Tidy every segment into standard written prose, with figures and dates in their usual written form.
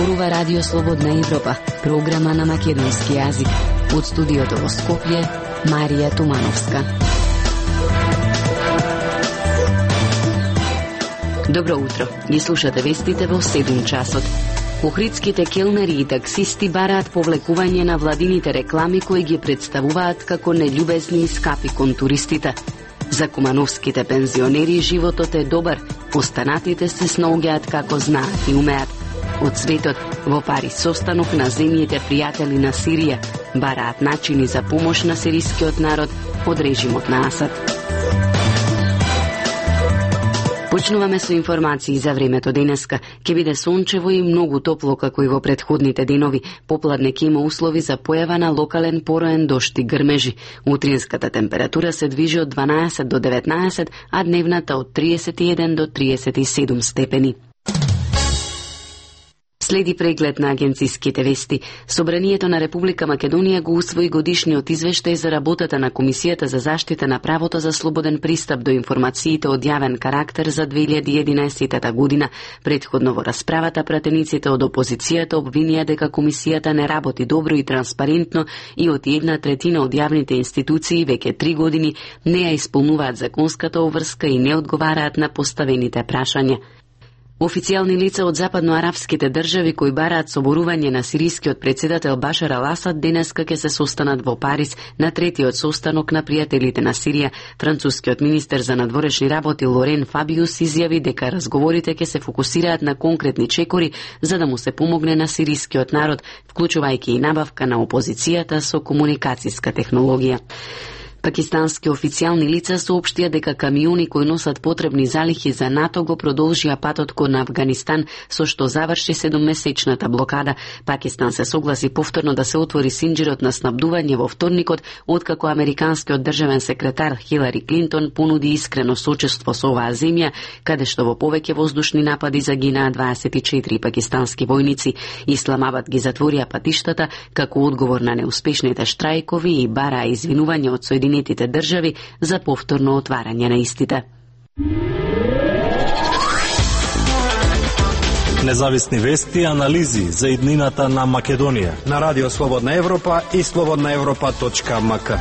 зборува Радио Слободна Европа, програма на македонски јазик. Од студиото во Скопје, Марија Тумановска. Добро утро. Ги слушате вестите во 7 часот. Охридските келнери и таксисти бараат повлекување на владините реклами кои ги представуваат како нељубезни и скапи кон туристите. За кумановските пензионери животот е добар, останатите се снаоѓаат како знаат и умеат. Од светот во Париз состанок на земјите пријатели на Сирија бараат начини за помош на сирискиот народ од режимот на Асад. Почнуваме со информации за времето денеска. Ке биде сончево и многу топло како и во претходните денови. Попладне ќе има услови за појава на локален пороен дожд и грмежи. Утринската температура се движи од 12 до 19, а дневната од 31 до 37 степени. Следи преглед на агенциските вести. Собранието на Република Македонија го усвои годишниот извештај за работата на Комисијата за заштита на правото за слободен пристап до информациите од јавен карактер за 2011 година. Предходно во расправата пратениците од опозицијата обвинија дека Комисијата не работи добро и транспарентно и од 1/3 од јавните институции веќе 3 години не ја исполнуваат законската обврска и не одговараат на поставените прашања. Официјални лица од западноарапските држави кои бараат соборување на сирискиот председател Башар ал-Асад денеска ќе се состанат во Париз на третиот состанок на пријателите на Сирија. Францускиот министер за надворешни работи Лорен Фабиус изјави дека разговорите ќе се фокусираат на конкретни чекори за да му се помогне на сирискиот народ, вклучувајќи и набавка на опозицијата со комуникацијска технологија. Пакистански официјални лица соопштија дека камиони кои носат потребни залихи за НАТО го продолжија патот кон Авганистан, со што заврши 7-месечната блокада. Пакистан се согласи повторно да се отвори синџирот на снабдување во вторникот, откако американскиот државен секретар Хилари Клинтон понуди искрено сочувство со оваа земја, каде што во повеќе воздушни напади загинаа 24 пакистански војници. Исламабад ги затворија патиштата како одговор на неуспешните штрајкови и бараа извинување од Соединетите држави за повторно отварање на истите. Независни вести и анализи за иднината на Македонија на Радио Слободна Европа и slobodnaevropa.mk.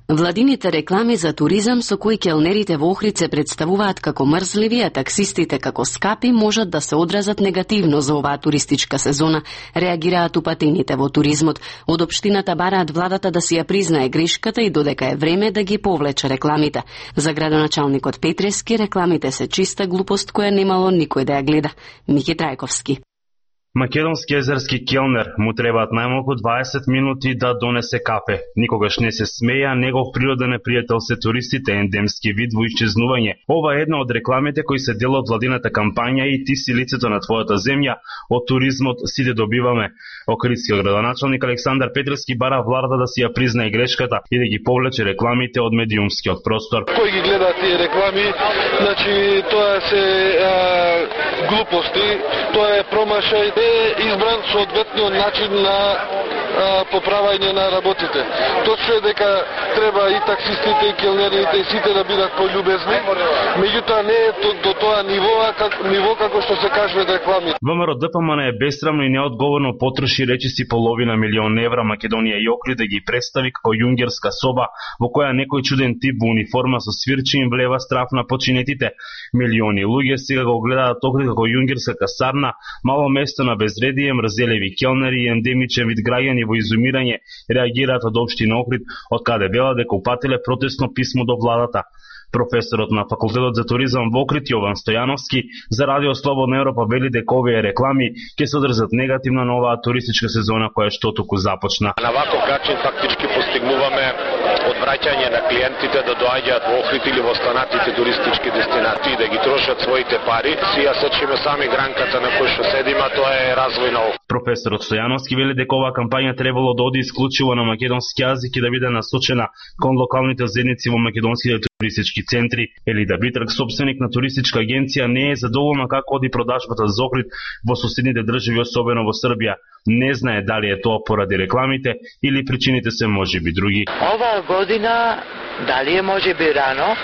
Владините реклами за туризам со кои келнерите во Охрид се представуваат како мрзливи, а таксистите како скапи можат да се одразат негативно за оваа туристичка сезона, реагираат упатените во туризмот. Од општината бараат владата да си ја признае грешката и додека е време да ги повлече рекламите. За градоначалникот Петрески рекламите се чиста глупост која немало никој да ја гледа. Мики Трајковски. Македонски езерски келнер му требаат најмалку 20 минути да донесе кафе. Никогаш не се смеја, негов природен непријател се туристите, ендемски вид во исчезнување. Ова е една од рекламите кои се дел од владината кампања и ти си лицето на твојата земја, од туризмот сите добиваме. Охридскиот градоначалник Александар Петрески бара владата да си ја признае грешката и да ги повлече рекламите од медиумскиот простор. Кој ги гледа тие реклами, значи тоа се глупости, тоа е промашај, избран соодветниот начин на поправање на работите. Точно е дека треба и таксистите, и келнерите, и сите да бидат пољубезни, меѓутоа не е до тоа ниво како што се кажува реклами. ВМРО ДПМН е бесрамно и неодговорно потроши речиси половина милион евра Македонија и Охрид да ги представи како јунгерска соба во која некој чуден тип во униформа со свирчи им влева страф на починетите. Милиони луѓе сега го гледаат Охрид како јунгерска касарна, мало место на безредие, мрзелеви келнери и ендемичен вид граѓани во изумирање реагираат од општина Охрид, од каде велат дека упателе протестно писмо до владата. Професорот на Факултетот за туризам во Охрид Јован Стојановски за Радио Слободна Европа вели дека овие реклами ќе се одржат негативно на оваа туристичка сезона која што току започна. На ваков начин фактички постигнуваме одвраќање на клиентите да доаѓаат во Охрид или во останатите туристички дестинации да ги трошат своите пари. Си ја сечиме сами гранката на која што седиме, а тоа е развој на Охрид. Професорот Стојановски вели дека оваа кампања требало да оди исклучиво на македонски јазик и да биде насочена кон локалните заедници во македонските туристички центри. Елида Битрак, собственик на туристичка агенција, не е задоволна како оди продажбата за Охрид во соседните држави, особено во Србија. Не знае дали е тоа поради рекламите или причините се можеби други. Оваа година, дали е можеби рано,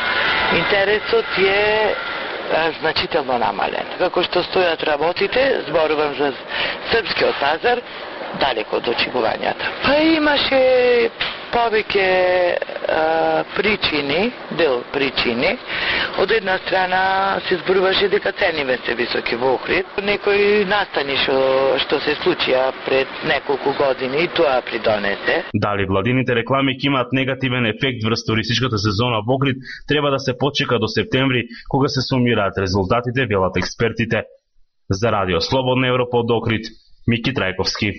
Интересот е значително намален. Како што стојат работите, зборувам за српскиот пазар, далеко од очекувањата. Па имаше повеќе причини, дел причини. Од една страна се зборуваше дека цените се високи во Охрид. Некои настани што се случија пред неколку години и тоа придонесе. Дали владините реклами ќе имаат негативен ефект врз туристичката сезона во Охрид, треба да се почека до септември, кога се сумираат резултатите, велат експертите. За Радио Слободна Европа од Охрид, Мики Трајковски.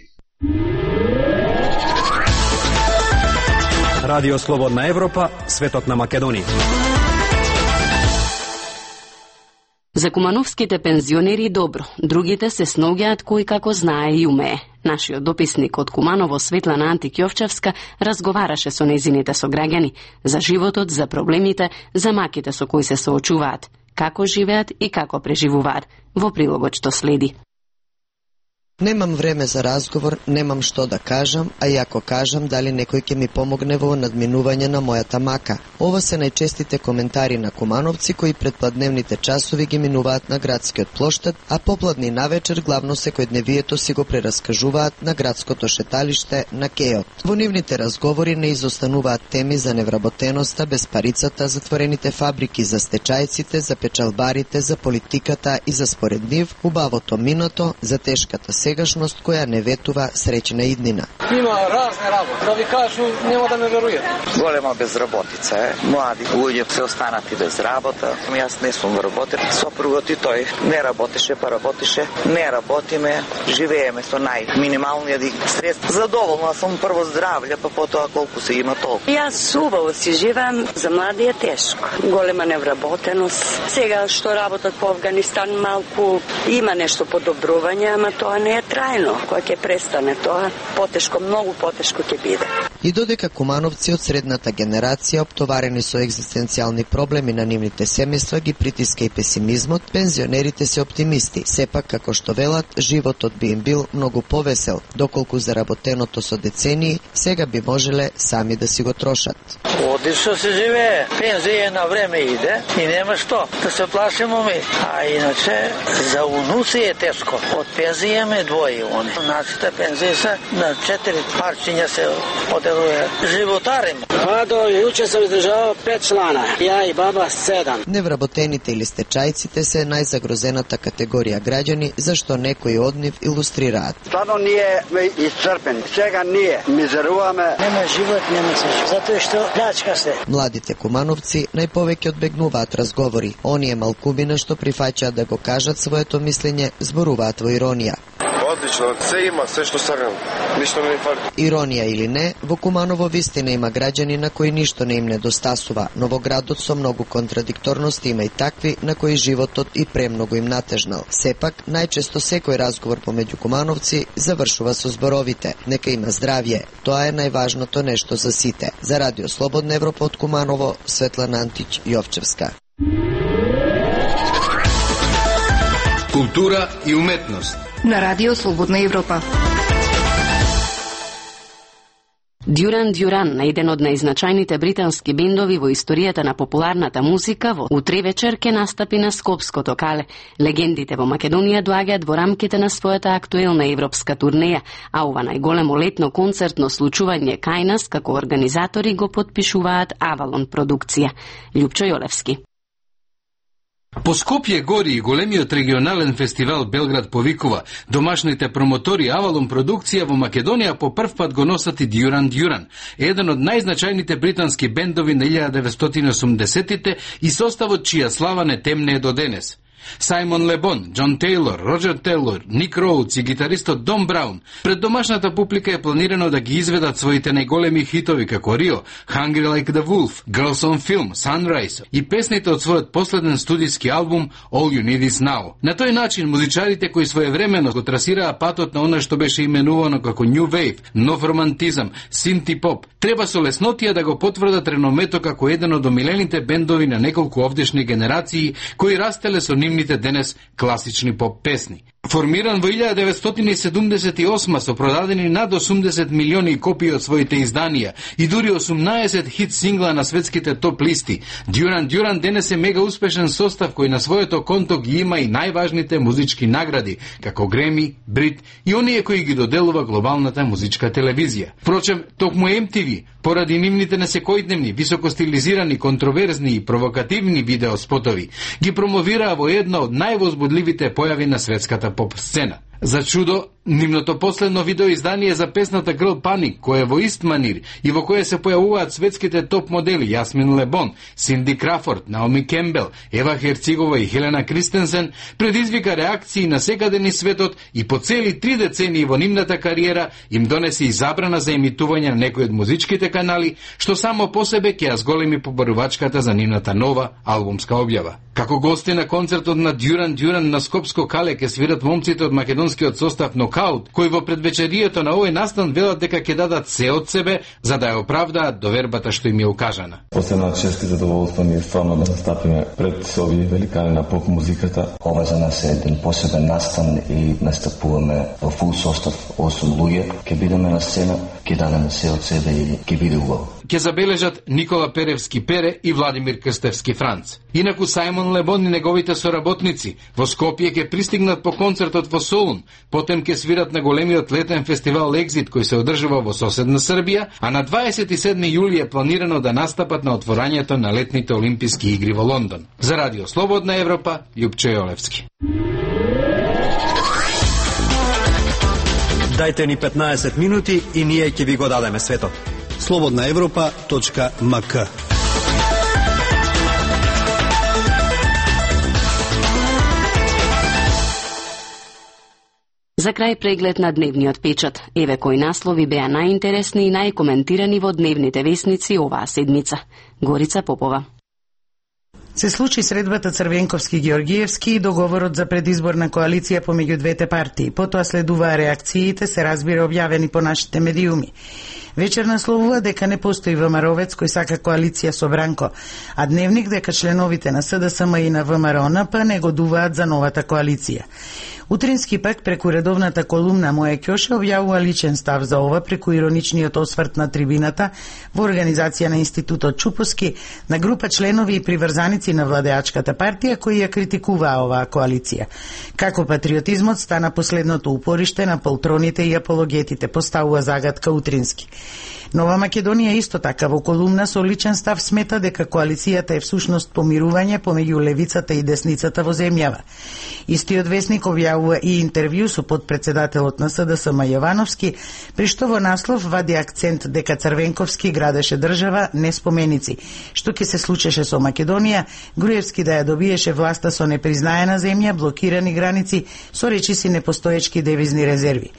Радио Слободна Европа, светот на Македонија. За кумановските пензионери добро, другите се сноѓаат кој како знае и умее. Нашиот дописник од Куманово, Светлана Антик-Јовчевска, разговараше со нејзините сограѓани за животот, за проблемите, за маките со кои се соочуваат, како живеат и како преживуваат. Во прилогот што следи. Немам време за разговор, немам што да кажам, а и ако кажам, дали некој ќе ми помогне во надминување на мојата мака. Ова се најчестите коментари на кумановци кои предпладневните часови ги минуваат на градскиот плоштад, а попладни навечер главно секојдневието си го прераскажуваат на градското шеталиште на Кејот. Во нивните разговори не изостануваат теми за невработеноста, безпарицата, затворените фабрики, за стечајците, за печалбарите, за политиката и за според нив убавото минато, за тешката сегашност која не ветува среќна иднина. Има разни работи, да ви кажу, нема да ме верујате. Голема безработица е, млади луѓе се останати без работа. Јас не сум работел, сопругот и тој не работеше, па работеше, не работиме, живееме со најминималниот средства. Задоволна сум прво здравје, па потоа колку се има толку. Јас убаво си живеам, за млади е тешко. Голема невработеност. Сега што работат по Афганистан малку има нешто подобрување, ама тоа не е трајно. Кога ќе престане тоа, потешко, многу потешко ќе биде. И додека кумановци од средната генерација оптоварени со екзистенцијални проблеми на нивните семејства ги притиска и песимизмот, пензионерите се оптимисти. Сепак, како што велат, животот би им бил многу повесел, доколку заработеното со децении сега би можеле сами да си го трошат. Одлично се живее, пензија на време иде и нема што да се плашимо ми. А иначе за унуци е тешко. Од пензија ме двои они. Нашите пензии се на 4 парчиња се поделуе. Животарим. До јуче сам издржавал 5 члана, ја и баба 7. Невработените или стечајците се најзагрозената категорија граѓани, зашто некои од нив илустрираат. Стварно ние сме исцрпени. Сега ние мизеруваме. Нема живот, нема се. Затоа што плачка се. Младите кумановци најповеќе одбегнуваат разговори. Оние малкумина што прифаќаат да го кажат своето мислење, зборуваат во иронија. Одлично, се има, се што сакам. Ништо не ми фали. Иронија или не, во Куманово вистина има граѓани на кои ништо не им недостасува, но во градот со многу контрадикторности има и такви на кои животот и премногу им натежнал. Сепак, најчесто секој разговор помеѓу кумановци завршува со зборовите: нека има здравје. Тоа е најважното нешто за сите. За Радио Слободна Европа од Куманово, Светлана Антич-Јовчевска. Култура и уметност на Радио Слободна Европа. Дюран Дюран, еден од најзначајните британски бендови во историјата на популарната музика, во утре вечер ќе настапи на Скопското кале. Легендите во Македонија доаѓаат во рамките на својата актуелна европска турнеја, а ова најголемо летно концертно случување кај нас како организатори го потпишуваат Авалон продукција. Љупчо Јолевски. По Скопје гори и големиот регионален фестивал Белград повикува. Домашните промотори Авалон продукција во Македонија по прв пат го носат и Дюран Дюран, еден од најзначајните британски бендови на 1980-тите и составот чија слава не темне до денес. Сајмон Лебон, Џон Тейлор, Роџер Тейлор, Ник Роудс и гитаристот Дон Браун пред домашната публика е планирано да ги изведат своите најголеми хитови како Рио, Hungry Like the Wolf, Girls on Film, Sunrise и песните од својот последен студиски албум All You Need Is Now. На тој начин музичарите кои своевремено го трасираа патот на она што беше именувано како New Wave, нов романтизам, синти поп, треба со леснотија да го потврдат реномето како еден од омилените бендови на неколку овдешни генерации кои растеле со нивните денес класични поп песни. Формиран во 1978 со продадени над 80 милиони копии од своите изданија и дури 18 хит сингла на светските топ листи, Дюран Дюран денес е мега успешен состав кој на своето конто ги има и најважните музички награди, како Греми, Брит и оние кои ги доделува глобалната музичка телевизија. Впрочем, токму MTV, поради нивните несекојдневни, високостилизирани, контроверзни и провокативни видеоспотови, ги промовираа во една од највозбудливите појави на светската поп сцена. За чудо, нивното последно видеоиздание за песната Girl Panic, кое е во ист манир и во кое се појавуваат светските топ модели Јасмин Лебон, Синди Крафорд, Наоми Кембел, Ева Херцигова и Хелена Кристенсен, предизвика реакции на секаде низ светот и по цели 3 децении во нивната кариера им донесе и забрана за емитување на некои од музичките канали, што само по себе ќе ја зголеми побарувачката за нивната нова албумска објава. Како гости на концертот на Дюран Дюран на Скопско кале ќе свират момците од македонскиот состав Нокаут, кои во предвечерието на овој настан велат дека ќе дадат се од себе за да ја оправдаат довербата што им е укажана. Посебна чест и задоволство ми е стварно да настапиме пред овие великани на поп музиката. Ова за нас е еден посебен настан и настапуваме во фул состав 8 луѓе. Ќе бидеме на сцена, ќе дадеме се од себе и ќе биде убаво. Ќе забележат Никола Перевски Пере и Владимир Крстевски Франц. Инаку Сајмон Лебон и неговите соработници во Скопје ќе пристигнат по концертот во Солун, потем ќе свират на големиот летен фестивал Екзит кој се одржува во соседна Србија, а на 27 јули е планирано да настапат на отворањето на летните олимписки игри во Лондон. За Радио Слободна Европа, Љупчо Јолевски. Дајте ни 15 минути и ние ќе ви го дадеме светот. slobodnaevropa.mk. За крај преглед на дневниот печат. Еве кои наслови беа најинтересни и најкоментирани во дневните весници оваа седмица. Горица Попова. Се случи средбата Црвенковски-Георгиевски и договорот за предизборна коалиција помеѓу двете партии. Потоа следуваа реакциите, се разбира објавени по нашите медиуми. Вечер насловува дека не постои ВМРО-вец кој сака коалиција со Бранко, а Дневник дека членовите на СДСМ и на ВМРО-НП негодуваат за новата коалиција. Утрински пак преку редовната колумна Моја Ќоше објавува личен став за ова преку ироничниот осврт на трибината во организација на Институтот Чупоски на група членови и приврзаници на владеачката партија кои ја критикуваа оваа коалиција. Како патриотизмот стана последното упориште на полтроните и апологетите, поставува загадка Утрински. Нова Македонија исто така во колумна со личен став смета дека коалицијата е всушност помирување помеѓу левицата и десницата во земјава. Истиот весник објавува и интервју со подпредседателот на СДСМ Јовановски, при што во наслов вади акцент дека Црвенковски градеше држава, не споменици, што ќе се случеше со Македонија, Груевски да ја добиеше власта со непризнаена земја, блокирани граници, со речиси непостоечки девизни резерви.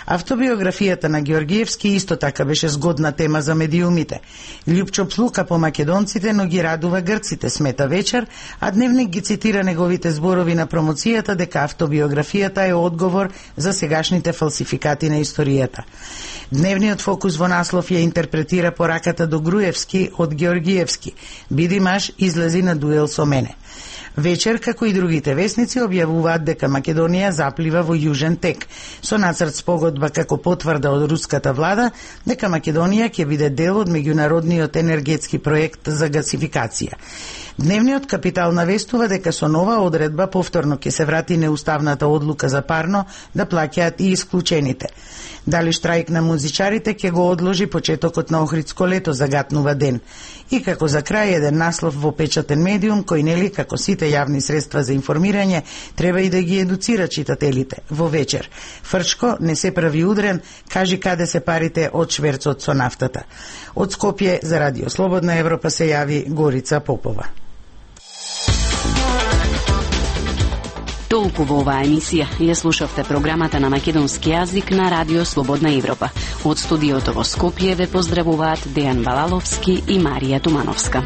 Автобиографијата на Георгиевски исто така беше згодна тема за медиумите. Љупчо плука по македонците, но ги радува грците, смета Вечер, а Дневник ги цитира неговите зборови на промоцијата дека автобиографијата е одговор за сегашните фалсификати на историјата. Дневниот фокус во наслов ја интерпретира пораката до Груевски од Георгиевски: "Биди маж, излези на дуел со мене." Вечер, како и другите весници, објавуваат дека Македонија заплива во јужен тек, со нацрт спогодба како потврда од руската влада дека Македонија ќе биде дел од меѓународниот енергетски проект за гасификација. Дневниот Капитал навестува дека со нова одредба повторно ќе се врати неуставната одлука за парно да плаќаат и исклучените. Дали штрајк на музичарите ќе го одложи почетокот на Охридско лето, загатнува Ден. И како за крај еден наслов во печатен медиум кој нели како сите јавни средства за информирање треба и да ги едуцира читателите. Во Вечер: "Фрчко, не се прави удрен, кажи каде се парите од шверцот со нафтата." Од Скопје за Радио Слободна Европа се јави Горица Попова. Толку во оваа емисија. Ја слушавте програмата на македонски јазик на Радио Слободна Европа. Од студиото во Скопје ве поздравуваат Дејан Балаловски и Марија Тумановска.